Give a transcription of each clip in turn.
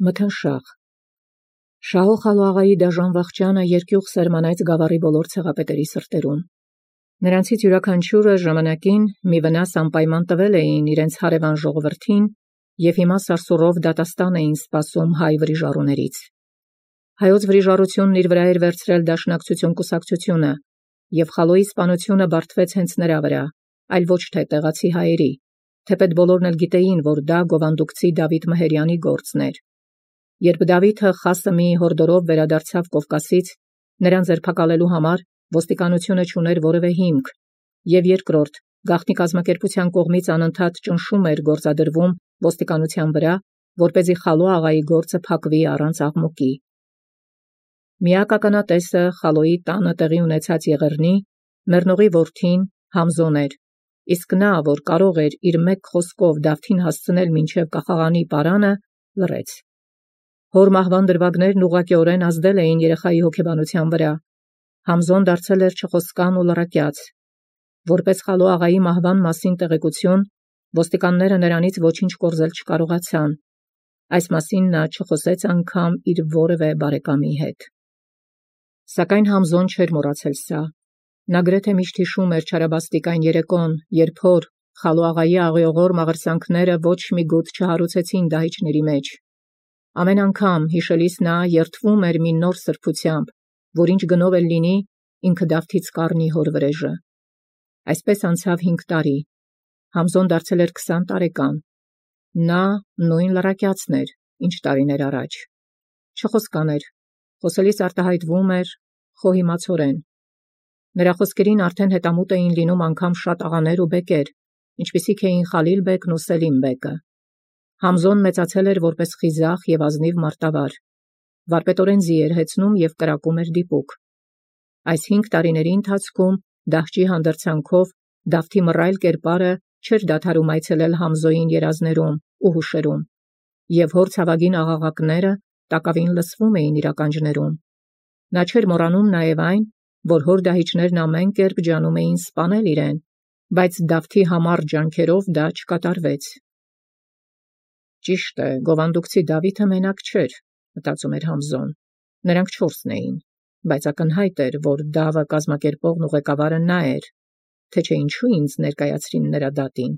Մթնշաղ Շահո Խալուաղայի դաժան վախճանը երկյուղ սերմանեց գավառի բոլոր ցեղապետերի սրտերում։ Նրանցից յուրաքանչյուրը ժամանակին մի վնաս անպայման տվել էին իրենց հարևան ժողովրդին և հիմա սարսուռով դատաստան էին սպասում հայ վրիժառուներից։ Հայոց վրիժառությունն իր վրա էր վերցրել դաշնակցություն կուսակցությունը, և Խալոյի սպանությունը բարդվեց հենց նրա վրա, այլ ոչ թե տեղացի հայերի, թեպետ բոլորն էլ գիտեին, որ դա գովանդուկցի Դավիթ Մհերյանի գործն էր։ Երբ Դավիթը խասը մի հորդորով վերադարձավ Կովկասից, նրան ձերբակալելու համար ոստիկանությունը չուներ որևէ հիմք, և երկրորդ, գաղտնի կազմակերպության կողմից անընդհատ ճնշում էր գործադրվում ոստիկանության վրա, որպեսզի Խալո աղայի գործը փակվի առանց աղմուկի։ Միակ ականատեսը Խալոյի տանը տեղի ունեցած եղեռնի, մեռնողի որդին Համզոն էր, իսկ նա, որ կարող էր իր մեկ խոսքով Դավթին հասցնել մինչև կախաղանի պարանը, լռեց։ Հոր մահվան դրվագներն ուղղակիորեն ազդել էին երեխայի հոգեբանության վրա։ Համզոն դարձել էր չխոսկան ու լռակյաց։ Որպես Խալո աղայի մահվան մասին տեղեկություն, ոստիկանները նրանից ոչինչ կորզել չկարողացան։ Այս մասին նա չխոսեց անգամ իր որևէ բարեկամի հետ։ Սակայն Համզոն չէր մոռացել սա։ Նա գրեթե միշտ հիշում էր չարաբաստիկ այն երեկոն, երբ հոր Խալո աղայի աղիողոր մաղրսանքները ոչ մի գութ չհարուցեցին դահիճների մեջ։ Ամեն անգամ հիշելիս նա երդվում էր մի նոր սրբությամբ, որ ինչ գնով էլ լինի, ինքը Դավթից կառնի հոր վրեժը։ Այսպես անցավ 5 տարի։ Համզոն դարձել էր 20 տարեկան։ Նա նույն լռակյացն էր, ինչ տարիներ առաջ։ Չխոսկան էր, խոսելիս արտահայտվում էր խոհիմացորեն։ Նրա խոսքերին արդեն հետամուտ էին լինում անգամ շատ աղաներ ու բեկեր, ինչպիսիք էին Խալիլ բեկն ու Սելիմ բեկը։ Համզոն մեծացել էր որպես խիզախ և ազնիվ մարտավար։ Վարպետորեն ձի էր հեծնում և կրակում էր դիպուկ։ Այս 5 տարիների ընթացքում դահճի հանդերձանքով Դավթի մռայլ կերպարը չէր դադարում այցելել Համզոյին երազներում ու հուշերում, և հոր ցավագին աղաղակները տակավին լսվում էին իր ականջներում։ Նա չէր մոռանում նաև այն, որ հոր դահիճներն ամեն կերպ ջանում էին սպանել իրեն, բայց Դավթի համառ ջանքերով դա չկատարվեց։ Ճիշտ է, գովանդուկցի Դավիթը մենակ չէր, մտածում էր Համզոն։ Նրանք 4 էին, բայց ակնհայտ էր, որ Դավը կազմակերպողն ու ղեկավարը նա էր, թե չէ ինչու ինձ ներկայացրին նրա դատին։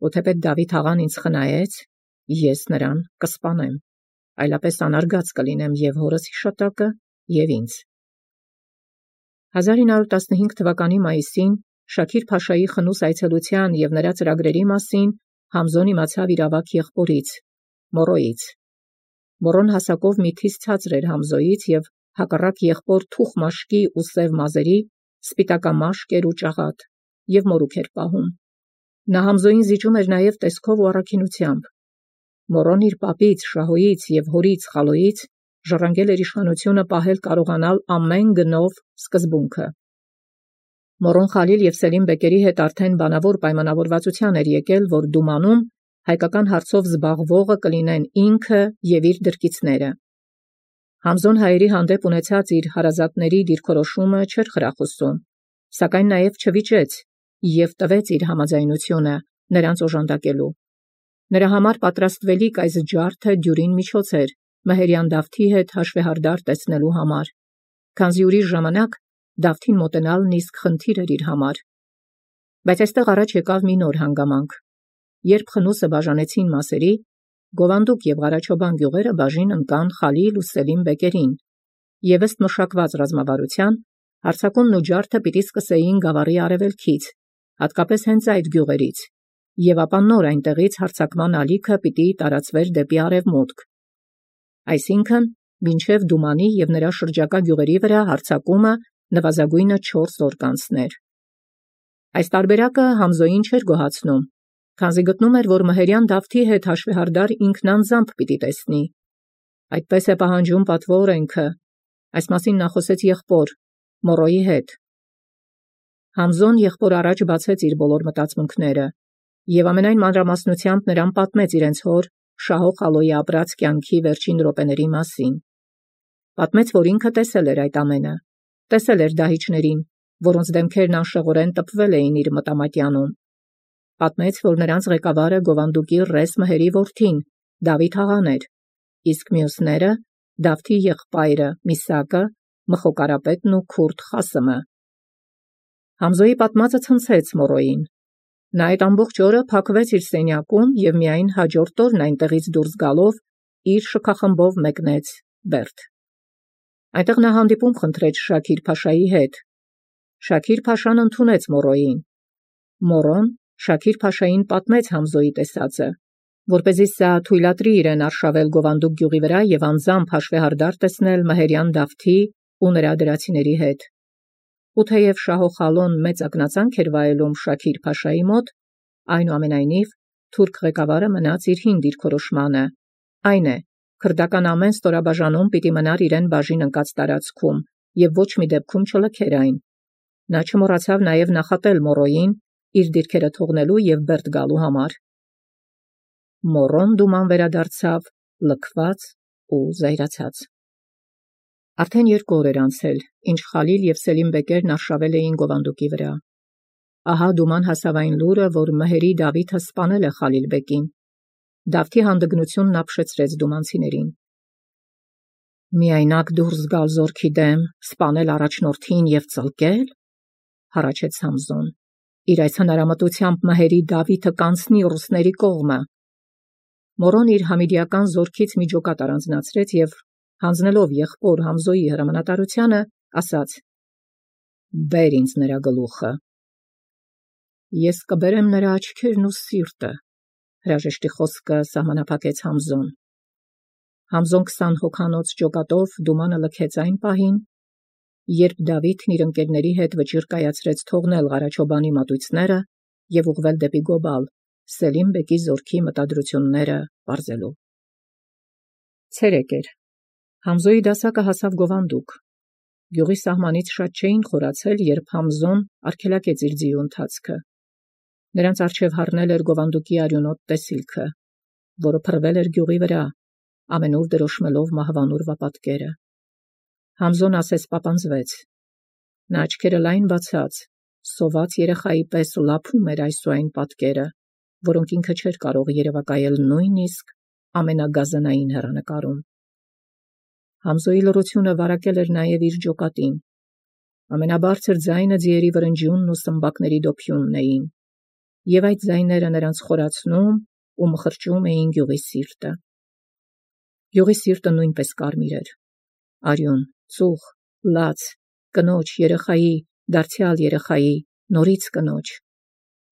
Ու թեպետ Դավիթ աղան ինձ խնայեց, ես նրան կսպանեմ, այլապես անարգած կլինեմ և հորս հիշատակը, և ինձ։ 1915 թվականի մայիսին Շաքիր Փաշայի խնուս այցելության և նրա ծրագրերի մասին Համզոն իմացավ իր ավագ եղբորից, Մորոյից։ Մորոն հասակով մի թիվ ցածր էր Համզոյից և հակառակ եղբոր թուխ մաշկի ու սև մազերի, սպիտակամաշկ էր ու ճաղատ, և մորուք էր պահում։ Նա Համզոյին զիջում էր նաև տեսքով ու առաքինությամբ։ Մորոն իր պապից, Շահոյից և հորից Խալոյից ժառանգել էր իշխանությունը պահել կարողանալ ամեն գնով սկզբունքը։ Մորոն Խալիլ և Սելիմ բեկերի հետ արդեն բանավոր պայմանավորվածության էր եկել, որ Դումանում հայկական հարցով զբաղվողը կլինեն ինքը և իր դրկիցները։ Համզոն հայերի հանդեպ ունեցած իր հարազատների դիրքորոշումը չէր խրախուսում, սակայն նաև չվիճեց և տվեց իր համաձայնությունը նրանց օժանդակելու։ Նրա համար պատրաստվելիք այս ջարդը դյուրին միջոց էր Մհերյան Դավթի հետ հաշվեհարդար տեսնելու համար, քանզի ուրիշ ժամանակ Դավթին մոտենալն իսկ խնդիր էր իր համար։ Բայց այստեղ առաջ եկավ մի նոր հանգամանք։ Երբ խնուսը բաժանեցին մասերի, Գովանդուկ և Ղարաչոբան գյուղերը բաժին ընկան Խալիլ ու Սելիմ բեկերին, և ըստ մշակված ռազմավարության հարձակումն ու ջարդը պիտի սկսեին գավառի արևելքից, հատկապես հենց այդ գյուղերից, և ապա նոր այնտեղից հարձակման ալիքը պիտի տարածվեր դեպի արևմուտք։ Այսինքն, մինչև Դումանի և նրա շրջակա գյուղերի վրա հարձակումը նվազագույնը 4 օր կանցներ։ Այս տարբերակը Համզոյին չէր գոհացնում, քանզի գտնում էր, որ Մհերյան Դավթի հետ հաշվեհարդար ինքն անձամբ պիտի տեսնի։ Այդպես է պահանջում պատվո օրենքը։ Այս մասին նա խոսեց եղբոր Մորոյի հետ։ Համզոն եղբոր առաջ բացեց իր բոլոր մտածմունքները և ամենայն մանրամասնությամբ նրան պատմեց իրենց հոր Շահո Խալոյի ապրած կյանքի վերջին րոպեների մասին։ Պատմեց, որ ինքը տեսել էր այդ ամենը, տեսել էր դահիճներին, որոնց դեմքերն անշեղորեն տպվել էին իր մտամատյանում։ Պատմեց, որ նրանց ղեկավարը Գովանդուկի ռես Մհերի որդին, Դավիթ աղան էր, իսկ մյուսները Դավթի եղբայրը Միսակը, Մխոկարապետն ու քուրդ Խասմը։ Համզոյի պատմածը ցնցեց Մորոյին։ Նա այդ ամբողջ օրը փակվեց իր սենյակում եւ միայն հաջորդ օրն այնտեղից դուրս գալով իր շքախմբով մեկնեց Բերդ։ Այնտեղ նա հանդիպում խնդրեց Շաքիր Փաշայի հետ։ Շաքիր Փաշան ընդունեց Մորոյին։ Մորոն Շաքիր Փաշային պատմեց Համզոյի տեսածը, որպեսզի սա թույլատրի իրեն արշավել Գովանդուկ գյուղի վրա եւ անձամբ հաշվեհարդար տեսնել մահերյան Դավթի ու նրա դրացիների հետ։ Ու թեև Շահոխալոն մեծ ակնածանք էր վայելում Շաքիր Փաշայի մոտ, այնուամենայնիվ թուրք ղեկավարը մնաց իր հին դիրքորոշմանը, այն է, քրդական ամեն ստորաբաժանում պիտի մնար իրեն բաժին ընկած տարածքում եւ ոչ մի դեպքում չլքեր այն։ Նա չմոռացավ նաեւ նախատել Մորոյին իր դիրքերը թողնելու եւ Բերդ գալու համար։ Մորոն դուման վերադարձավ լքված ու զայրացած։ Արդեն 2 օր էր անցել, ինչ Խալիլ եւ Սելիմ Բեկերն արշավել էին Գովանդուկի վրա։ Ահա դուման հասավ այն լուրը, որ մհերի Դավիթը սպանել է Խալիլ Բեկին։ Դավթի հանդգնությունն ապշեցրեց դումանցիներին։ Միայնակ դուրս գալ զորքի դեմ, սպանել առաջնորդին եւ ծլկել, հառաչեց Համզոն։ Իր այս հնարամտությամբ մհերի Դավիթը կանցնի ռուսների կողմը։ Մորոն իր համիդիական զորքից մի ջոկատ առանձնացրեց եւ հանձնելով եղբոր Համզոյի հրամանատարությանը, ասաց. «Բեր ինձ նրա գլուխը»։ «Ես կբերեմ նրա աչքերն ու սիրտը», հրաժեշտի խոսքը սահմանափակեց Համզոն։ Համզոն 20 հոգանոց ջոկատով դումանը լքեց այն պահին, երբ Դավիթն իր ընկերների հետ վճիռ կայացրեց թողնել Ղարաչոբանի մատույցները եւ ուղղվել դեպի Գոբալ, Սելիմ Բեկի զորքի մտադրությունները պարզելու։ Ցերեկ էր։ Համզոյի դասակը հասավ Գովանդուկ։ Գյուղի սահմանից շատ չէին խորացել, երբ Համզոն արգելակեց իր ձիու ընթացքը։ Նրանց առջև հառնել էր Գովանդուկի արյունոտ տեսիլքը, որը փռվել էր գյուղի վրա, ամենուր դրոշմելով մահվանուրվա պատկերը։ Համզոն ասես պապանձվեց։ Նա աչքերը լայն բացած, սոված երեխայի պես լափում էր այս ու այն պատկերը, որոնք ինքը չէր կարող երևակայել նույնիսկ ամենագազանային հեռանկարում։ Համզոյի լռությունը վարակել էր նաև իր ջոկատին։ Ամենաբարձր ձայնը ձիերի վրնջյունն ու սմբակների դոփյունն էին, եւ այդ ձայները նրանց խորացնում ու մխրճում էին գյուղի սիրտը։ Գյուղի սիրտը նույնպես կարմիր էր։ Արյուն, ծուխ, լաց, կնոջ, երեխայի, դարձյալ երեխայի, նորից կնոջ։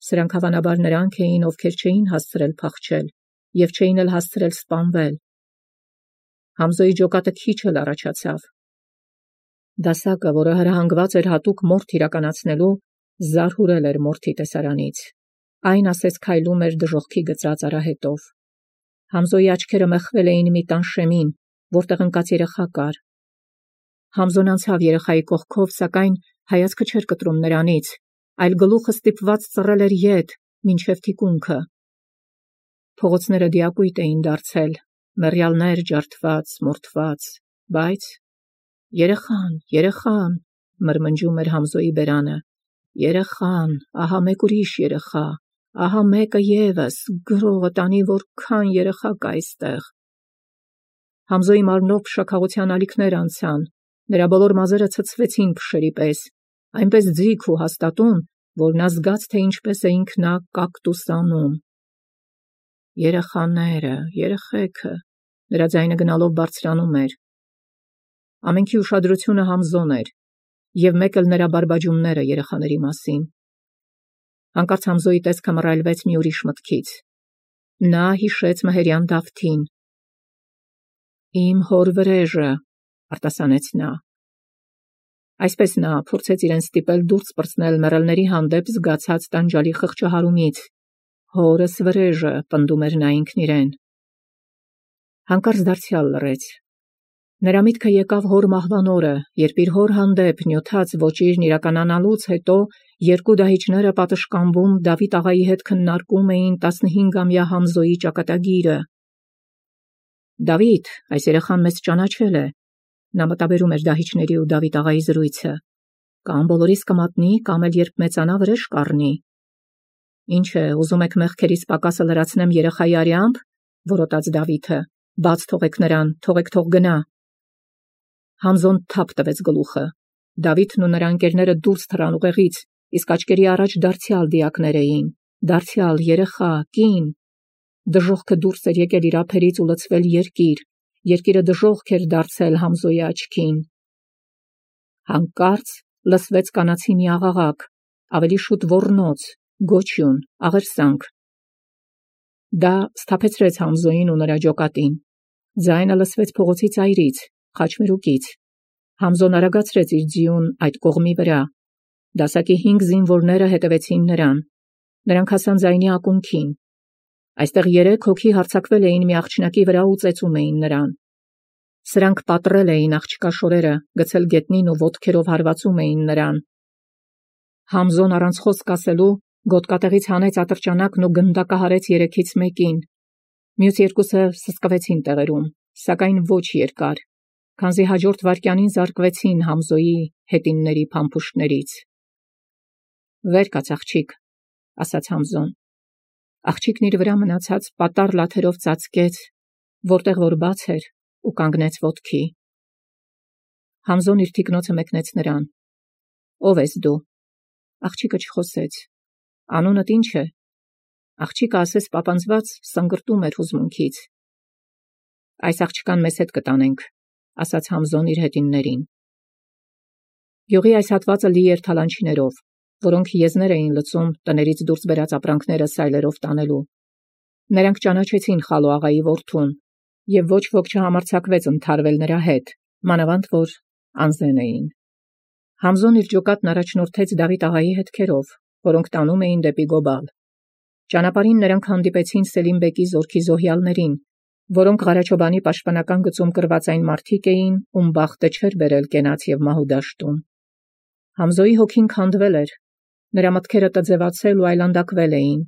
Սրանք հավանաբար նրանք էին, ովքեր չէին հասցրել փախչել եւ չէին էլ հասցրել սպանվել։ Համզոյի ջոկատը քիչ էլ առաջացավ։ Դասակը, որը հրահանգված էր հատուկ մորթ իրականացնելու, զարհուրել էր մորթի տեսարանից։ Այն ասես քայլում էր դժոխքի գծած արահետով։ Համզոյի աչքերը մեղվել էին մի տանշեմին, որտեղ ընկած երեխա կար։ Համզոն անցավ երեխայի կողքով, սակայն հայացքը չէր կտրում նրանից, այլ գլուխը ստիպված ծռել էր ետ, մինչև թիկունքը։ Փողոցները դիակույտ էին դարձել, մեռյալներ ջարդված, մորթված, բայց երեխան, մրմնջում էր Համզոյի բերանը, երեխան, ահա մեկ ուրիշ երեխա, ահա մեկը ևս, գրողը տանի որքան երեխա կա այստեղ։ Համզոյի մարմնով փշաքաղության ալիքներ անցան, նրա բոլոր մազերը ցցվեցին փշերի պես, այնպես ձիգ ու հաստատուն, որ նա զգաց, թե ինչպես է ինքնա կակտուսանում։ Երեխաները, երեխեքը, նրա ձայնը գնալով բարձրանում էր։ Ամենքի ուշադրությունը Համզոն էր, եւ մեկ էլ նրա բարբաջումները երեխաների մասին։ Հանկարծ Համզոյի տեսքը մռայլվեց մի ուրիշ մտքից։ Նա հիշեց մհերյան Դավթին։ «Իմ հոր վրեժը», արտասանեց նա։ Այսպես նա փորձեց իրեն ստիպել դուրս պրծնել մեռելների հանդեպ զգացած տանջալի խղճահարումից։ «Հորս վրեժը», պնդում էր նա ինքն իրեն։ Հանկարծ դարձյալ լռեց։ Նրա միտքը եկավ հոր մահվան օրը, երբ իր հոր հանդեպ նյութած ոճիրն իրականանալուց հետո երկու դահիճները պատշգամբում Դավիթ աղայի հետ քննարկում էին 15-ամյա Համզոյի ճակատագիրը։ «Դավիթ, այս երեխան մեզ ճանաչել է», նա մտաբերում էր դահիճների ու Դավիթ աղայի զրույցը, «կամ բոլորիս կմատնի, կամ էլ երբ մեծանա վրեժ կառնի»։ «Ինչ է, ուզում եք մեղքերիս պակասը լրացնեմ երեխայի արյամբ», որոտաց Դավիթը, Բաց թողեք նրան, թողեք թող գնա։ Համզոն թափ տվեց գլուխը։ Դավիթն ու նրա ընկերները դուրս թռան ուղեղից, իսկ աչքերի առաջ դարձյալ դիակներ էին, դարձյալ երեխա, կին։ Դժոխքը դուրս էր եկել իր ափերից ու լցվել երկիր, երկիրը դժոխք էր դարձել Համզոյի աչքին։ Հանկարծ լսվեց կանացի մի աղաղակ, ավելի շուտ ոռնոց, գոչյուն, աղերսանք։ Դա սթափեցրեց Համզոյին ու նրա ջոկատին։ Ձայնը լսվեց փողոցի ծայրից, խաչմերուկից։ Համզոն արագացրեց իր ձիուն այդ կողմի վրա։ Դասակի 5 զինվորները հետևեցին նրան։ Նրանք հասան ձայնի ակունքին։ Այստեղ 3 հոգի հարձակվել էին մի աղջնակի վրա ու ծեծում էին նրան։ Սրանք պատռել էին աղջկա շորերը, գցել գետնին ու ոտքերով հարվածում էին նրան։ Համզոն առանց խոսք ասելու գոտկատեղից հանեց ատրճանակն ու գնդակահարեց 3-ից մեկին։ Մյուս երկուսը սսկվեցին տեղերում, սակայն ոչ երկար, քանզի հաջորդ վայրկյանին զարկվեցին Համզոյի հետինների փամփուշտներից։ «Վեր կաց, աղջիկ», ասաց Համզոն։ Աղջիկն իր վրա մնացած պատառ լաթերով ծածկեց, որտեղ որ բաց էր, ու կանգնեց ոտքի։ Համզոն իր թիկնոցը մեկնեց նրան։ «Ո՞վ ես դու»։ Աղջիկը չխոսեց։ «Անունդ ի՞նչ է»։ Աղջիկը ասես պապանձված սնգրտում էր հուզմունքից։ «Այս աղջկան մեզ հետ կտանենք», ասաց Համզոն իր հետիններին։ Գյուղի այս հատվածը լի էր թալանչիներով, որոնք եզներ էին լցում տներից դուրս բերած ապրանքները սայլերով տանելու։ Նրանք ճանաչեցին Խալո աղայի որդուն, եւ ոչ ոք չհամարձակվեց ընդհարվել նրա հետ, մանավանդ որ անզեն էին։ Համզոն իր ջոկատն առաջնորդեց Դավիթ աղայի հետքերով, որոնք տանում էին դեպի Գոբալ։ Ճանապարհին նրանք հանդիպեցին Սելիմ բեկի զորքի զոհյալներին, որոնք Ղարաչոբանի պաշտպանական գծում կրված այն մարդիկ էին, ում բախտը չէր բերել կենաց եւ մահու դաշտում։ Համզոյի հոգին քանդվել էր, նրա մտքերը տձևացել ու այլանդակվել էին,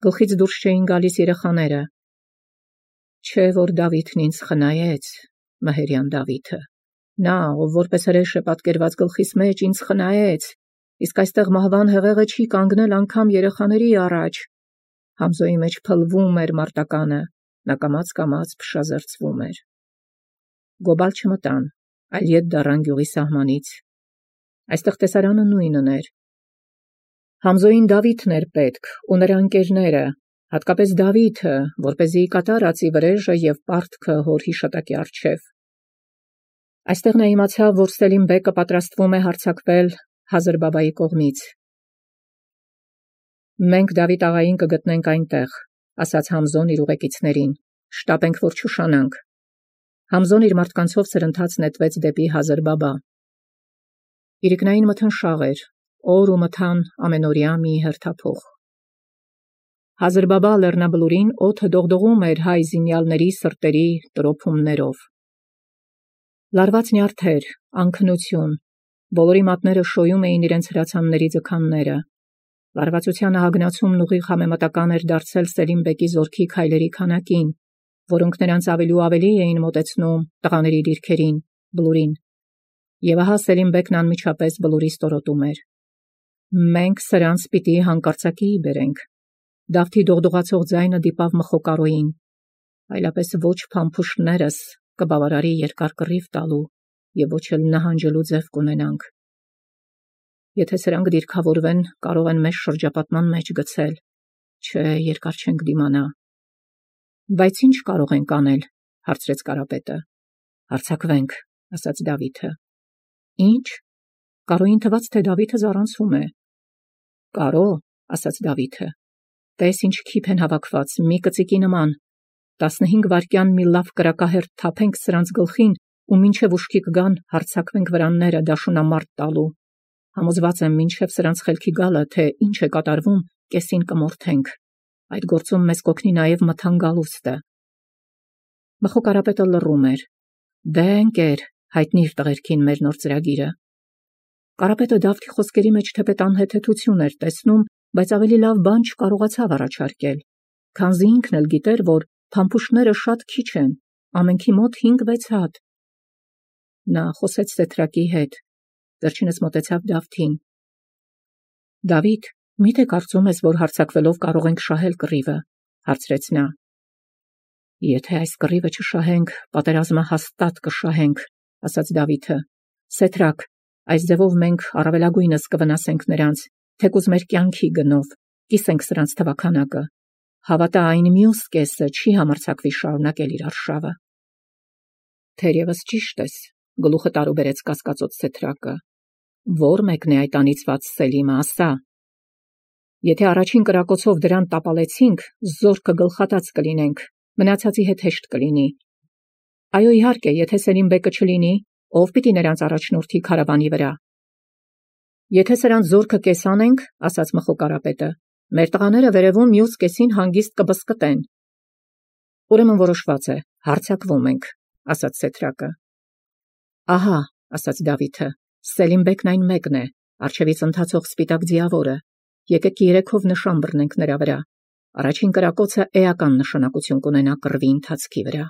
գլխից դուրս չէին գալիս երեխաները։ Չէ որ Դավիթն ինձ խնայեց, մահերյան Դավիթը, նա, ով որպես հրեշ է պատկերված գլխիս մեջ, ինձ խնայեց, իսկ այստեղ մահվան հեղեղը չի կանգնել անգամ երեխաների առաջ։ Համզոյի մեջ փլվում էր մարտականը, նա կամաց փշազերծվում էր։ Գոբալ չմտան, այլ ետ դառան գյուղի սահմանից։ Այստեղ տեսարանը նույնն էր։ Համզոյին Դավիթն էր պետք ու նրա ընկերները, հատկապես Դավիթը, որպեսզի կատարածի վրեժը եւ պարտքը հոր հիշատակի առջև։ Այստեղ նա իմացավ, որ Սելիմ բեկը պատրաստվում է հարձակվել Հազրբաբայի կողմից։ «Մենք Դավիթ աղային կգտնենք այնտեղ», ասաց Համզոն իր ուղեկիցներին, «շտապենք, որ չուշանանք»։ Համզոն իր մարդկանցով սրընթաց նետվեց դեպի Հազրբաբա։ Իրիկնային մթնշաղ էր, օր ու մթան ամենօրյա մի հերթափոխ։ Հազրբաբա լեռնաբլուրին օդը դողդողում էր հայ զինյալների սրտերի տրոփումներով։ Լարված նյարդեր, անքնություն, բոլորի մատները շոյում էին իրենց հրացանների ձգանները։ Լարվածությանը հագնացումն ուղիղ համեմատական էր դարձել Սելիմ բեկի զորքի քայլերի քանակին, որոնք նրանց ավելի ու ավելի էին մոտեցնում տղաների դիրքերին, բլուրին։ Եվ ահա Սելիմ բեկն անմիջապես բլուրի ստորոտում էր։ «Մենք սրանց պիտի հանկարծակիի բերենք»։ Դավթի դողդողացող ձայնը դիպավ Մխոկարոյին։ Այլապես ոչ փամփուշտներս կբավարարի երկար կռիվ տալու եւ ոչ էլ նահանջելու ձև կունենանք։ Եթե սրանք դիրքավորվեն, կարող են մեզ շրջապատման մեջ գցել, չէ, երկար չենք դիմանա։ Բայց ինչ կարող ենք անել, հարցրեց Կարապետը։ Հարձակվենք, ասաց Դավիթը։ Ինչ։ Կարոյին թվաց, թե Դավիթը զառանցում է։ Կարո, ասաց Դավիթը։ Տես ինչ քիփ են հավաքված, մի կծիկի նման։ 15 վայրկյան մի լավ կրակահերթ թափենք սրանց գլխին ու մինչև ուշքի կգան հարձակվենք վրանները դաշունամարտ տալու։ Համոզված եմ, մինչև սրանց խելքի գալը, թե ինչ է կատարվում, կեսին կմորթենք։ Այդ գործում մեզ կօգնի նաև մթան գալուստը։ Մխոկարապետը լռում էր։ Դե ընկեր, հայտնիր տղերքին մեր նոր ծրագիրը։ Կարապետը Դավթի խոսքերի մեջ թեպետ անհեթեթություն էր տեսնում, բայց ավելի լավ բան չկարողացավ առաջարկել, քանզի ինքն էլ գիտեր, որ փամփուշտները շատ քիչ են, ամենքի մոտ 5-6 հատ։ Նա խոսեց Սեթրակի հետ, վերջինս մոտեցավ Դավթին։ Դավիթ, միթե կարծում ես, որ հարձակվելով կարող ենք շահել կռիվը, հարցրեց նա։ Եթե այս կռիվը չշահենք, պատերազմը հաստատ կշահենք, ասաց Դավիթը։ Սեթրակ, այս ձևով մենք առավելագույնս կվնասենք նրանց, թեկուզ մեր կյանքի գնով, կիսենք սրանց թվաքանակը։ Հավատա այն մյուս կեսը չի համարձակվի շարունակել իր արշավը։ Թերևս ճիշտ ես, գլուխը տարուբերեց կասկածոտ Սեթրակը։ Ո՞ր մեկն է այդ անիծված Սելիմը, ասա։ Եթե առաջին կրակոցով դրան տապալեցինք, զորքը գլխատած կլինենք, մնացածի հետ հեշտ կլինի։ Այո, իհարկե, եթե Սելիմ բեկը չլինի, ով պիտի նրանց առաջնորդի քարավանի վրա։ Եթե սրանց զորքը կեսանենք, ասաց Մխոկարապետը, մեր տղաները վերևում մյուս կեսին հանգիստ կբսկտեն։ Ուրեմն որոշված է, հարձակվում ենք, ասաց Սեթրակը։ Ահա, ասաց Դավիթը, Սելիմ բեկն այն մեկն է, առջևից ընթացող սպիտակ ձիավորը։ Եկեք երեքով նշան բռնենք նրա վրա։ Առաջին կրակոցը էական նշանակություն կունենա կռվի ընթացքի վրա։